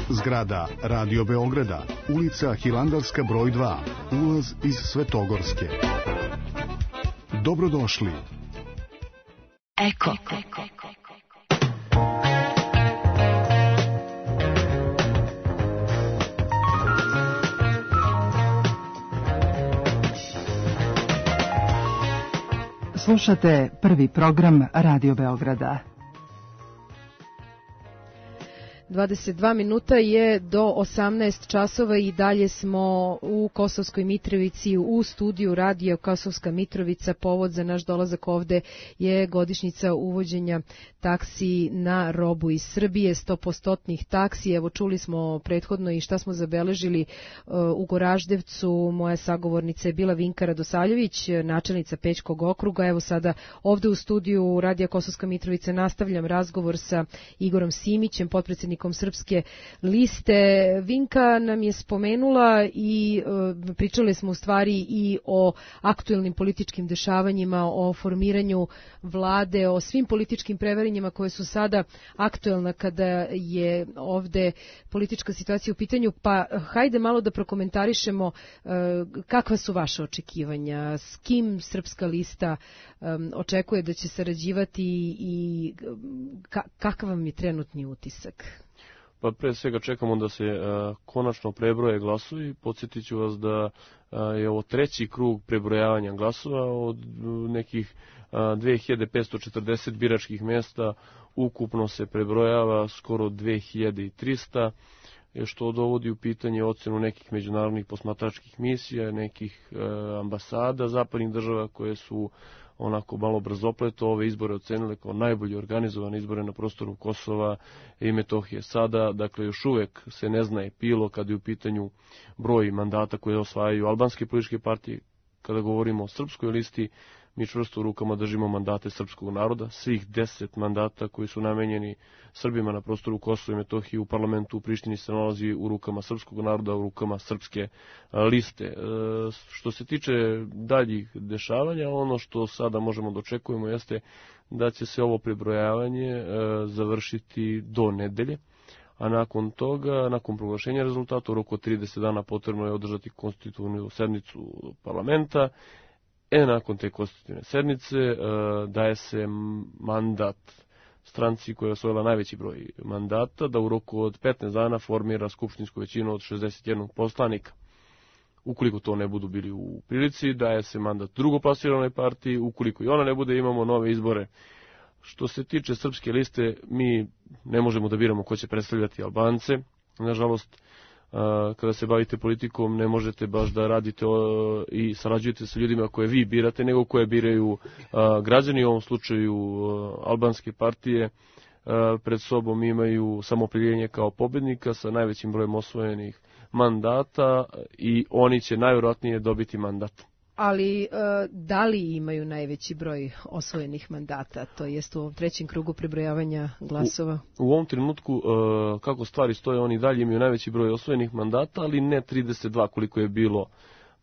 Zgrada Radio Beograda, ulica Hilandarska broj dva, ulaz iz Svetogorske. Dobrodošli. Eko. Slušate prvi program Radio Beograda. dvadeset dva minuta je do osamnaest časova i dalje smo u Kosovskoj Mitrovici u studiju Radio Kosovska Mitrovica. Povod za naš dolazak ovde je godišnjica uvođenja taksi na robu iz Srbije, sto posto taksi. Evo, čuli smo prethodno i šta smo zabeležili u Goraždevcu. Moja sagovornica je bila Vinka Radosavljević, načelnica Pećkog okruga. Evo sada ovde u studiju Radio Kosovska Mitrovica nastavljam razgovor sa Igorom Simićem, potpredsednikom Srpske liste. Vinka nam je spomenula i e, pričali smo u stvari i o aktuelnim političkim dešavanjima, o formiranju vlade, o svim političkim prevaranjima koje su sada aktuelna kada je ovde politička situacija u pitanju. Pa hajde malo da prokomentarišemo e, kakva su vaše očekivanja, s kim Srpska lista e, očekuje da će sarađivati i ka, kakav vam je trenutni utisak? Pa pre svega čekamo da se a, konačno prebroje glasovi. Podsjetit ću vas da a, je ovo treći krug prebrojavanja glasova od nekih a, dve hiljade petsto četrdeset biračkih mjesta. Ukupno se prebrojava skoro dve hiljade trista, što dovodi u pitanje ocenu nekih međunarodnih posmatračkih misija, nekih e, ambasada zapadnih država koje su onako malo brzopleto ove izbore ocenile kao najbolje organizovane izbore na prostoru Kosova i Metohije. Sada, dakle, još uvek se ne zna epilog kada je u pitanju broj mandata koje osvajaju albanske političke partije. Kada govorimo o srpskoj listi, mi čvrsto u rukama držimo mandate srpskog naroda, svih deset mandata koji su namenjeni Srbima na prostoru Kosova i Metohije u parlamentu u Prištini se nalazi u rukama srpskog naroda, u rukama srpske liste. E, što se tiče daljih dešavanja, ono što sada možemo da očekujemo jeste da će se ovo prebrojavanje e, završiti do nedelje, a nakon toga, nakon proglašenja rezultata, u roku od trideset dana potrebno je održati konstitutivnu sednicu parlamenta. E, nakon te konstitutivne sednice e, daje se mandat stranci koja je osvojila najveći broj mandata da u roku od petnaest dana formira skupštinsku većinu od šezdeset jedan poslanika. Ukoliko to ne budu bili u prilici, daje se mandat drugoplasirane partiji. Ukoliko i ona ne bude, imamo nove izbore. Što se tiče srpske liste, mi ne možemo da biramo ko će predstavljati Albance. Nažalost, kada se bavite politikom, ne možete baš da radite i sarađujete sa ljudima koje vi birate, nego koje biraju građani, u ovom slučaju albanske partije. Pred sobom imaju samoopredjeljenje kao pobednika sa najvećim brojem osvojenih mandata i oni će najvjerojatnije dobiti mandat. Ali da li imaju najveći broj osvojenih mandata, to jest u ovom trećem krugu prebrojavanja glasova? U, u ovom trenutku, kako stvari stoje, oni dalje imaju najveći broj osvojenih mandata, ali ne trideset dva koliko je bilo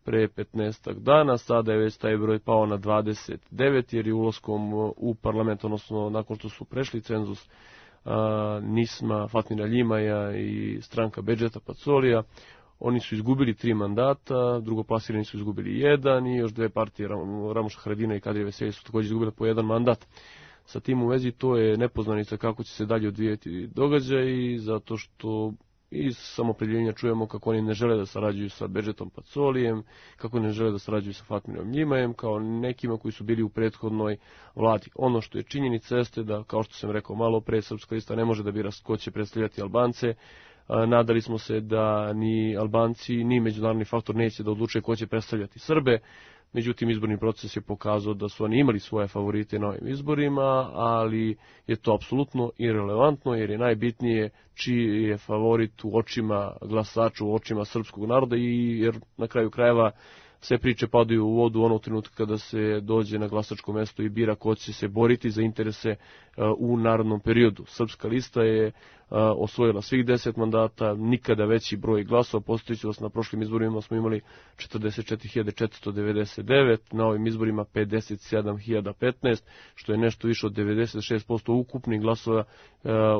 pre petnaestak dana. Sada je već taj broj pao na dvadeset devet, jer je ulaskom u parlament, odnosno nakon što su prešli cenzus Nisma, Fatmira Ljimaja i stranka Bedžeta Pacolija, oni su izgubili tri mandata, drugoplasirani su izgubili jedan i još dve partije, Ramuša Haradina i Kadrija Veselje, su također izgubili po jedan mandat. Sa tim u vezi to je nepoznanica kako će se dalje odvijeti događaj, zato što iz samoopredjeljenja čujemo kako oni ne žele da sarađuju sa Bedžetom Pacolijem, kako ne žele da sarađuju sa Fatmirom Ljimajem, kao nekima koji su bili u prethodnoj vladi. Ono što je činjenica jeste da, kao što sam rekao malo pre, Srpska lista ne može da bira ko će predstavljati Albance. Nadali smo se da ni Albanci, ni međunarodni faktor neće da odluče ko će predstavljati Srbe. Međutim, izborni proces je pokazao da su oni imali svoje favorite na ovim izborima, ali je to apsolutno irelevantno, jer je najbitnije čiji je favorit u očima glasača, u očima srpskog naroda, i jer na kraju krajeva sve priče padaju u vodu onog trenutka kada se dođe na glasačko mesto i bira ko će se boriti za interese u narodnom periodu. Srpska lista je osvojila svih deset mandata, nikada veći broj glasova. Postojići vas, na prošlim izborima smo imali četrdeset četiri hiljade četiristo devedeset devet, na ovim izborima pedeset sedam hiljada petnaest, što je nešto više od devedeset šest posto ukupnih glasova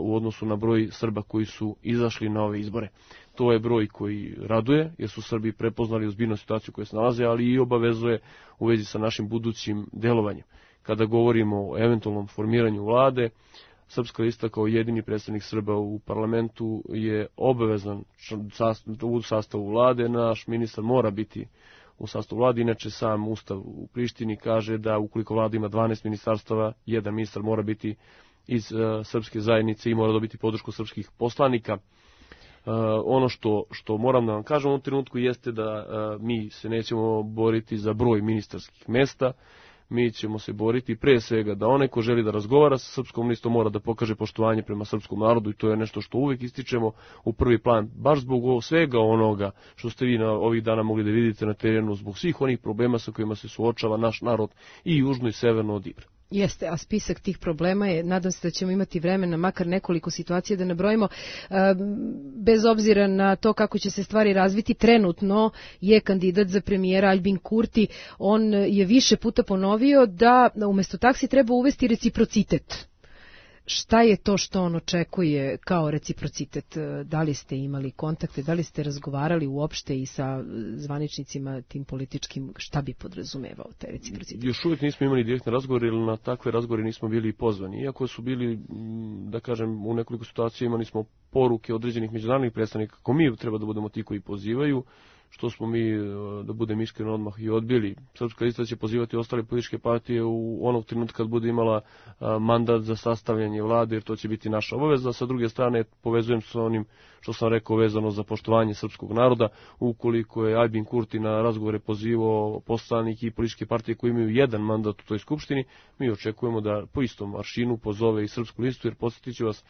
u odnosu na broj Srba koji su izašli na ove izbore. To je broj koji raduje, jer su Srbi prepoznali ozbiljnu situaciju koju se nalaze, ali i obavezuje u vezi sa našim budućim delovanjem. Kada govorimo o eventualnom formiranju vlade, Srpska lista kao jedini predstavnik Srba u parlamentu je obavezan u sastavu vlade. Naš ministar mora biti u sastavu vlade, inače sam ustav u Prištini kaže da ukoliko vlada ima dvanaest ministarstava, jedan ministar mora biti iz uh, srpske zajednice i mora dobiti podršku srpskih poslanika. Uh, ono što, što moram da vam kažem u ovom trenutku jeste da uh, mi se nećemo boriti za broj ministarskih mesta, mi ćemo se boriti pre svega da onaj ko želi da razgovara sa srpskom listom mora da pokaže poštovanje prema srpskom narodu, i to je nešto što uvijek ističemo u prvi plan, baš zbog svega onoga što ste vi na ovih dana mogli da vidite na terenu, zbog svih onih problema sa kojima se suočava naš narod i južno i severno od Ibra. Jeste, a spisak tih problema je, nadam se da ćemo imati vremena, makar nekoliko situacija da nabrojimo, bez obzira na to kako će se stvari razviti. Trenutno je kandidat za premijera Albin Kurti, on je više puta ponovio da umjesto taksi treba uvesti reciprocitet. Šta je to što on očekuje kao reciprocitet? Da li ste imali kontakte, da li ste razgovarali uopšte i sa zvaničnicima tim političkim, šta bi podrazumevao taj reciprocitet? Još uvijek nismo imali direktne razgovore, ili na takve razgovore nismo bili pozvani. Iako su bili, da kažem, u nekoliko situacija imali smo poruke određenih međunarodnih predstavnika kako mi treba da budemo ti koji pozivaju, što smo mi, da budem iskren, odmah i odbili. Srpska lista će pozivati ostale političke partije u onog trenutka kad bude imala mandat za sastavljanje vlade, jer to će biti naša obaveza. Sa druge strane, povezujem se sa onim što sam rekao vezano za poštovanje srpskog naroda. Ukoliko je Aljbin Kurti na razgovore pozivao poslanike i političke partije koji imaju jedan mandat u toj skupštini, mi očekujemo da po istom aršinu pozove i Srpsku listu, jer podsjetit ću vas,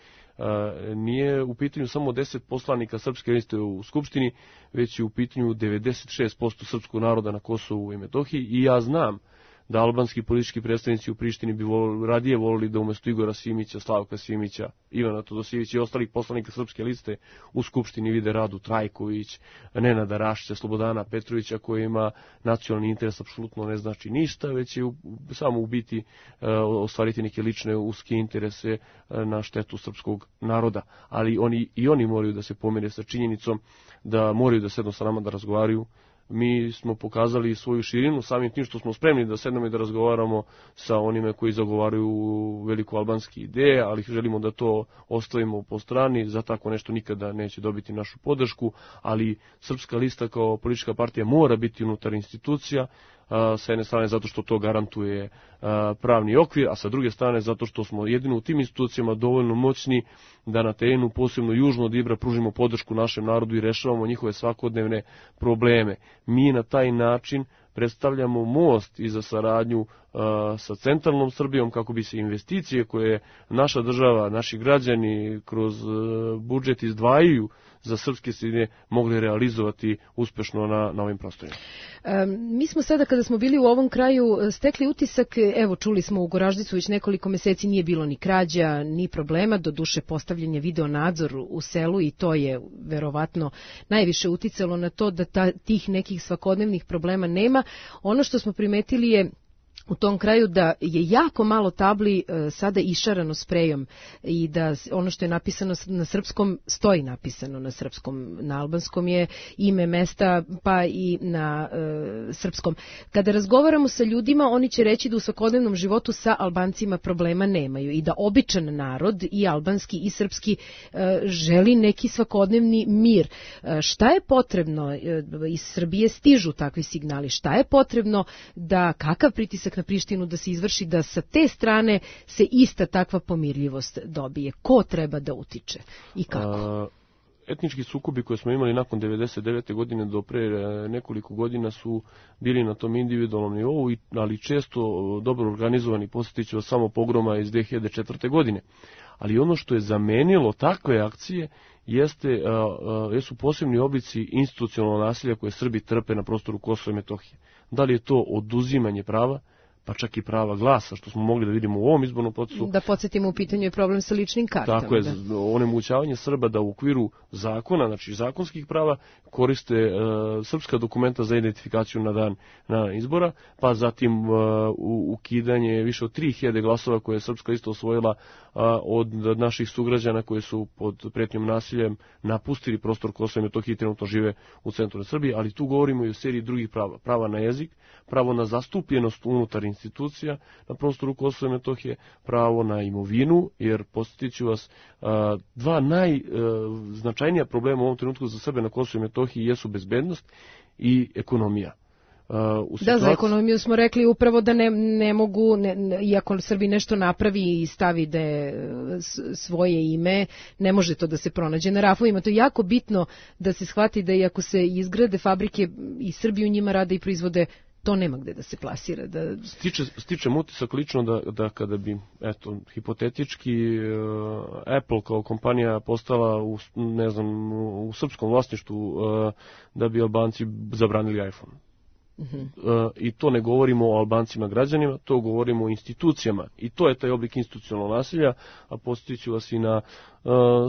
nije u pitanju samo deset poslanika Srpske liste u Skupštini, već je u pitanju devedeset šest posto srpskog naroda na Kosovu i Metohiji, i ja znam da albanski politički predstavnici u Prištini bi vol, radije volili da umjesto Igora Simića, Slavka Simića, Ivana Todosijevića i ostalih poslanika Srpske liste u Skupštini vide Radu Trajković, Nenada Rašića, Slobodana Petrovića, koji ima nacionalni interes, apsolutno ne znači ništa, već je u, samo u biti e, ostvariti neke lične uske interese e, na štetu srpskog naroda. Ali oni i oni moraju da se pomire sa činjenicom da moraju da sednu sa nama da razgovaraju. Mi smo pokazali svoju širinu samim tim što smo spremni da sednemo i da razgovaramo sa onime koji zagovaraju veliko albanske ideje, ali želimo da to ostavimo po strani, za tako nešto nikada neće dobiti našu podršku, ali Srpska lista kao politička partija mora biti unutar institucija, sa jedne strane zato što to garantuje pravni okvir, a sa druge strane zato što smo jedino u tim institucijama dovoljno moćni da na terenu, posebno južno od Ibra, pružimo podršku našem narodu i rešavamo njihove svakodnevne probleme. Mi na taj način predstavljamo most i za saradnju uh, sa centralnom Srbijom kako bi se investicije koje naša država, naši građani kroz uh, budžet izdvajaju za srpske sredine mogli realizovati uspešno na, na ovim prostorima. Um, mi smo sada kada smo bili u ovom kraju stekli utisak, evo čuli smo u Goraždicu već nekoliko meseci nije bilo ni krađa, ni problema, do duše postavljanja video nadzor u selu i to je verovatno najviše uticalo na to da ta, tih nekih svakodnevnih problema nema. Ono što smo primetili je u tom kraju da je jako malo tabli e, sada išarano sprejom i da ono što je napisano na srpskom stoji napisano na srpskom, na albanskom je ime mesta pa i na e, srpskom. Kada razgovaramo sa ljudima, oni će reći da u svakodnevnom životu sa Albancima problema nemaju i da običan narod i albanski i srpski e, želi neki svakodnevni mir. E, šta je potrebno? E, iz Srbije stižu takvi signali. Šta je potrebno da kakav pritisak na Prištinu da se izvrši da sa te strane se ista takva pomirljivost dobije? Ko treba da utiče i kako? A, etnički sukobi koje smo imali nakon devedeset devete godine do pre nekoliko godina su bili na tom individualnom nivou, ali često dobro organizovani. Posjetit ću vas samo pogroma iz dve hiljade četvrte. godine. Ali ono što je zamenilo takve akcije jeste, a, a, jesu posebni oblici institucionalnog nasilja koje Srbi trpe na prostoru Kosova i Metohije. Da li je to oduzimanje prava, pa čak i prava glasa, što smo mogli da vidimo u ovom izbornom procesu. Da podsjetimo, u pitanju je problem sa ličnim kartama. Tako je, da. onemogućavanje Srba da u okviru zakona, znači zakonskih prava, koriste uh, srpska dokumenta za identifikaciju na dan na izbora, pa zatim uh, ukidanje više od tri hiljade glasova koje je Srpska lista osvojila uh, od naših sugrađana koji su pod pretnjom nasiljem napustili prostor Kosova i Metohije i trenutno žive u centru Srbije, ali tu govorimo i o seriji drugih prava. Prava na jezik, pravo na zastupljenost unutar institucija na prostoru Kosova i Metohije, pravo na imovinu, jer posjetit ću vas, dva najznačajnija problema u ovom trenutku za Srbe na Kosovu i Metohiji jesu bezbednost i ekonomija. Uh, u situaciji... Da, za ekonomiju smo rekli upravo da ne, ne mogu, ne, iako Srbi nešto napravi i stavi da je svoje ime, ne može to da se pronađe na rafovima. To je jako bitno da se shvati da iako se izgrade fabrike i Srbi u njima rade i proizvode, to nema gde da se plasira. Da... Stiče, stičem utisak lično da, da kada bi, eto, hipotetički uh, Apple kao kompanija postala u, ne znam, u srpskom vlasništvu, uh, da bi Albanci zabranili iPhone. Uh-huh. Uh, I to ne govorimo o Albancima građanima, to govorimo o institucijama i to je taj oblik institucionalnog nasilja, a posjetit ću vas i na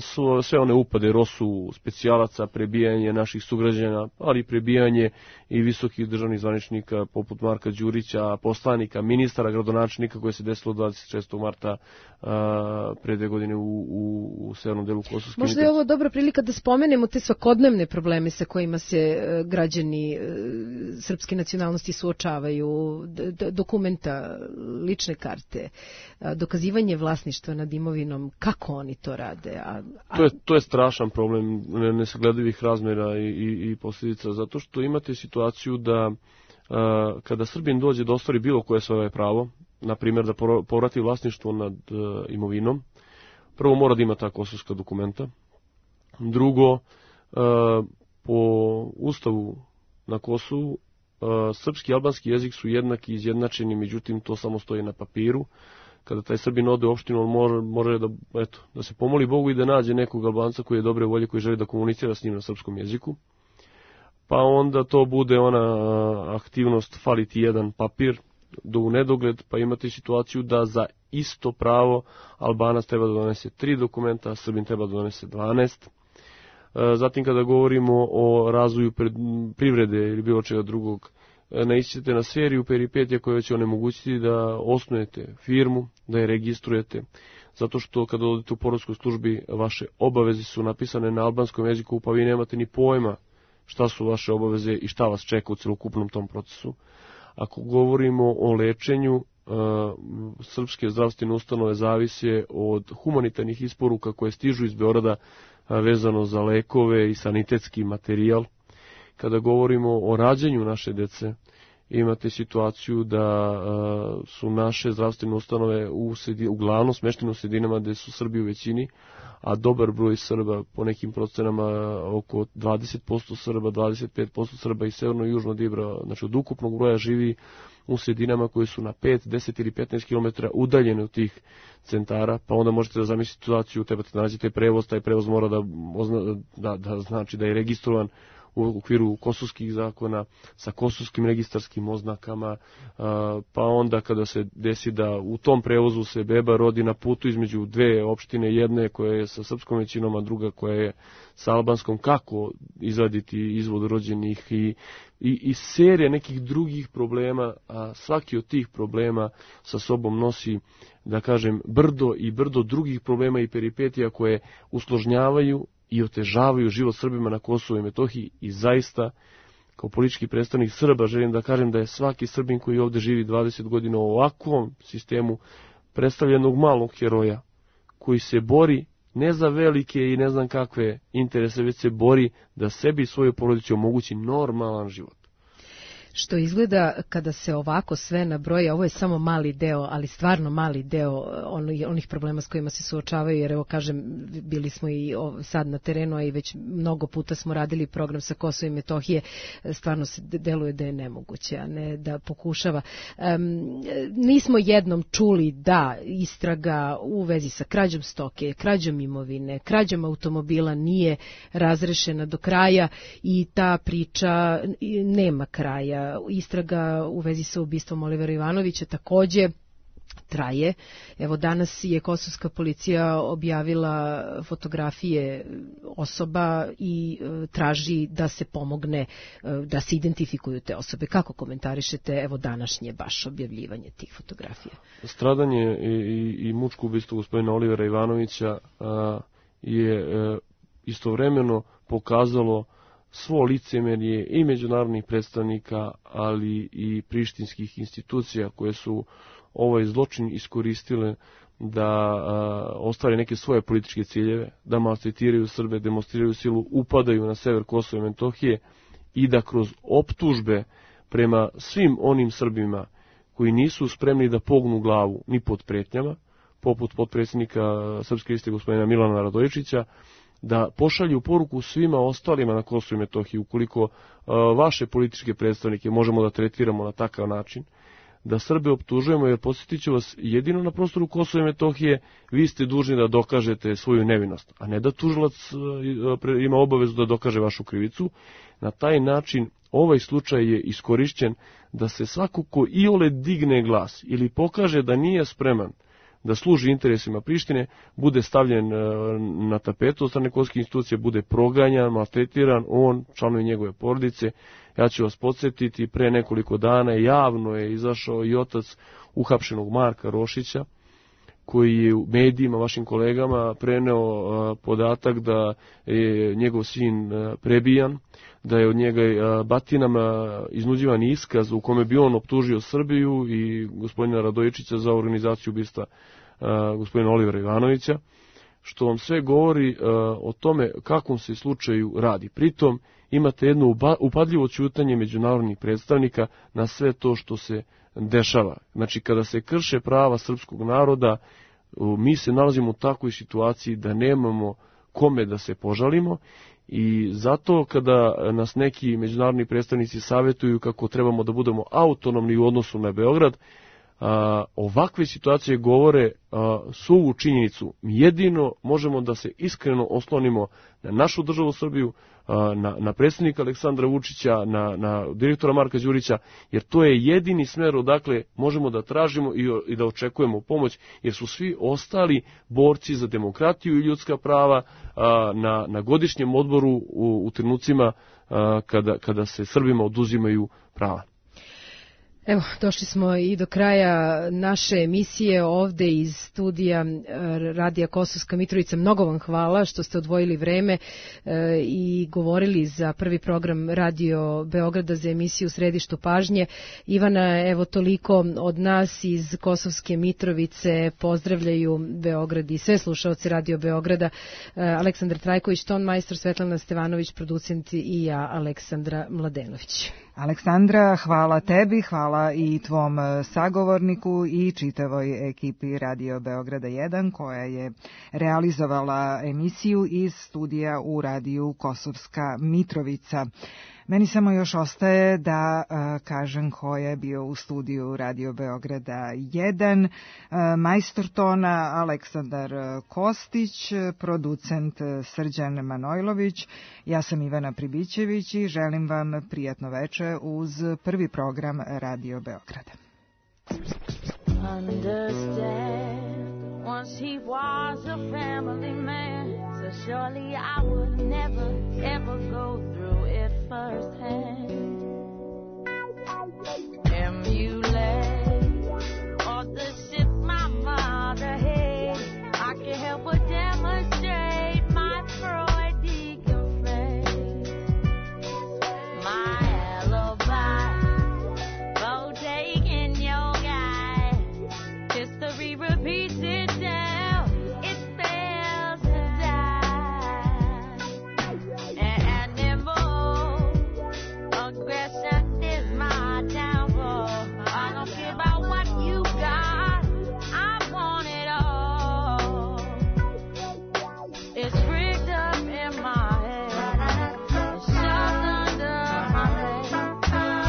su sve one upade rosu specijalaca, prebijanje naših sugrađana, ali prebijanje i visokih državnih zvaničnika poput Marka Đurića, poslanika, ministara, gradonačelnika koje se desilo dvadeset šestog marta pre dve godine u, u, u severnom delu Kosovske. Možda je ovo dobra prilika da spomenemo te svakodnevne probleme sa kojima se građani srpske nacionalnosti suočavaju, dokumenta, lične karte, dokazivanje vlasništva nad imovinom, kako oni to rade? A, a... To, je, to je strašan problem nesagledivih razmjera i, i, i posljedica, zato što imate situaciju da a, kada Srbin dođe da ostvari bilo koje svoje pravo, na primjer da povrati vlasništvo nad a, imovinom, prvo mora da ima ta kosovska dokumenta, drugo, a, po ustavu na Kosovu, a, srpski i albanski jezik su jednaki i izjednačeni, međutim to samo stoji na papiru. Kada taj Srbin ode u opštinu, on može, može da, eto, da se pomoli Bogu i da nađe nekog Albanca koji je dobre volje, koji želi da komunicira s njim na srpskom jeziku. Pa onda to bude ona aktivnost fali ti jedan papir do u nedogled, pa imate situaciju da za isto pravo Albanac treba da donese tri dokumenta, a Srbin treba da donese dvanaest. Zatim kada govorimo o razvoju privrede ili bilo čega drugog, naići ćete na seriju peripetija koje će onemogućiti da osnujete firmu, da je registrujete, zato što kada odete u poreskoj službi vaše obaveze su napisane na albanskom jeziku, pa vi nemate ni pojma šta su vaše obaveze i šta vas čeka u celokupnom tom procesu. Ako govorimo o lečenju, srpske zdravstvene ustanove zavise od humanitarnih isporuka koje stižu iz Beograda vezano za lekove i sanitetski materijal. Kada govorimo o rađanju naše dece, imate situaciju da uh, su naše zdravstvene ustanove u sedi, uglavnom smeštene u sredinama gde su Srbi u većini, a dobar broj Srba, po nekim procenama oko dvadeset posto Srba, dvadeset pet posto Srba i severno i južno Dibra, znači od ukupnog broja živi u sredinama koje su na pet, deset ili petnaest kilometara udaljene od tih centara, pa onda možete da zamislite situaciju, trebate da nađete prevoz, taj prevoz mora da, da, da znači da je registrovan u okviru kosovskih zakona, sa kosovskim registarskim oznakama, pa onda kada se desi da u tom prevozu se beba rodi na putu između dve opštine, jedne koja je sa srpskom većinom, a druga koja je sa albanskom, kako izvaditi izvod rođenih i, i, i serija nekih drugih problema, a svaki od tih problema sa sobom nosi, da kažem, brdo i brdo drugih problema i peripetija koje usložnjavaju i otežavaju život Srbima na Kosovu i Metohiji i zaista, kao politički predstavnik Srba, želim da kažem da je svaki Srbin koji ovde živi dvadeset godina u ovakvom sistemu predstavljenog malog heroja, koji se bori ne za velike i ne znam kakve interese, već se bori da sebi i svojoj porodici omogući normalan život. Što izgleda kada se ovako sve nabroji, ovo je samo mali deo, ali stvarno mali deo onih problema s kojima se suočavaju, jer evo kažem, bili smo i sad na terenu, a i već mnogo puta smo radili program sa Kosova i Metohije, stvarno se deluje da je nemoguće, a ne da pokušava. Um, nismo jednom čuli da istraga u vezi sa krađom stoke, krađom imovine, krađom automobila nije razrešena do kraja i ta priča nema kraja. Istraga u vezi sa ubistvom Olivera Ivanovića takođe traje. Evo danas je kosovska policija objavila fotografije osoba i e, traži da se pomogne, e, da se identifikuju te osobe. Kako komentarišete evo današnje baš objavljivanje tih fotografija? Stradanje i, i, i mučko ubistvo gospodina Olivera Ivanovića a, je a, istovremeno pokazalo svo licemerje i međunarodnih predstavnika, ali i prištinskih institucija koje su ovaj zločin iskoristile da a, ostvare neke svoje političke ciljeve, da maltretiraju Srbe, demonstriraju silu, upadaju na sever Kosova i Metohije i da kroz optužbe prema svim onim Srbima koji nisu spremni da pognu glavu ni pod pretnjama, poput potpredsjednika Srpske liste gospodina Milana Radojičića, da pošalju poruku svima ostalima na Kosovu i Metohiji, ukoliko uh, vaše političke predstavnike možemo da tretiramo na takav način, da Srbe optužujemo, jer podsjetit ću vas, jedino na prostoru Kosova i Metohije vi ste dužni da dokažete svoju nevinost, a ne da tužilac uh, ima obavezu da dokaže vašu krivicu. Na taj način ovaj slučaj je iskorišćen da se svako ko iole digne glas ili pokaže da nije spreman da služi interesima Prištine, bude stavljen na tapetu od strane kosovske institucije, bude proganjan, maltretiran, on, članovi njegove porodice. Ja ću vas podsjetiti, pre nekoliko dana javno je izašao i otac uhapšenog Marka Rošića, koji je u medijima, vašim kolegama, preneo podatak da je njegov sin prebijan, da je od njega batinama iznuđivan iskaz u kome bi on optužio Srbiju i gospodina Radojičića za organizaciju ubistva gospodina Olivera Ivanovića, što vam sve govori o tome kakvom se slučaju radi. Pritom imate jedno upadljivo ćutanje međunarodnih predstavnika na sve to što se dešava. Znači, kada se krše prava srpskog naroda, mi se nalazimo u takvoj situaciji da nemamo kome da se požalimo i zato kada nas neki međunarodni predstavnici savjetuju kako trebamo da budemo autonomni u odnosu na Beograd, a, ovakve situacije govore a, suvu činjenicu. Mi jedino možemo da se iskreno oslonimo na našu državu Srbiju, Na, na predsjednika Aleksandra Vučića, na, na direktora Marka Đurića, jer to je jedini smer odakle možemo da tražimo i, i da očekujemo pomoć, jer su svi ostali borci za demokratiju i ljudska prava a, na, na godišnjem odboru u, u trenucima a, kada, kada se Srbima oduzimaju prava. Evo, došli smo i do kraja naše emisije ovde iz studija Radija Kosovska Mitrovica. Mnogo vam hvala što ste odvojili vreme e, i govorili za prvi program Radio Beograda za emisiju Središtu pažnje. Ivana, evo toliko od nas iz Kosovske Mitrovice pozdravljaju Beograd i sve slušaoci Radio Beograda. E, Aleksandar Trajković, ton majstor, Svetlana Stevanović, producent i ja, Aleksandra Mladenović. Aleksandra, hvala tebi, hvala i tvom sagovorniku i čitavoj ekipi Radio Beograda jedan koja je realizovala emisiju iz studija u radiju Kosovska Mitrovica. Meni samo još ostaje da a, kažem ko je bio u studiju Radio Beograda jedan, a, majstor tona Aleksandar Kostić, producent Srđan Manojlović, ja sam Ivana Pribićević i želim vam prijatno veče uz prvi program Radio Beograda. Understand, once he was a family man, so surely I would never ever go through it firsthand. Emulate all the shit my mother had, I can't help but demonstrate my Freudian phrase, my alibi for taking your guy. History repeats itself, it fails to die. Animal aggression is my downfall. I don't care about what you got, I want it all. It's rigged up in my head, it's shoved under my bed,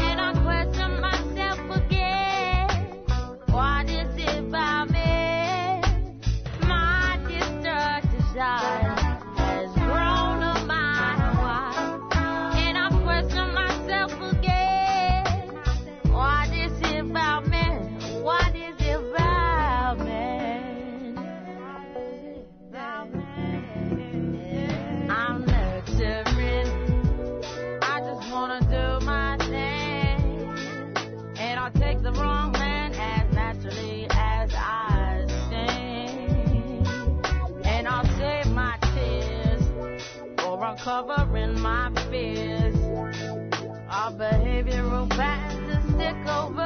and I question myself again. What is it about me? My destructive side has grown a mile wide, and I question myself again. What is it about me? What is it about me? I'm nurturing, I just wanna do my thing, and I'll take the wrong man as naturally as I sing, and I'll save my tears for uncovering my fears. Our behavioral patterns to stick over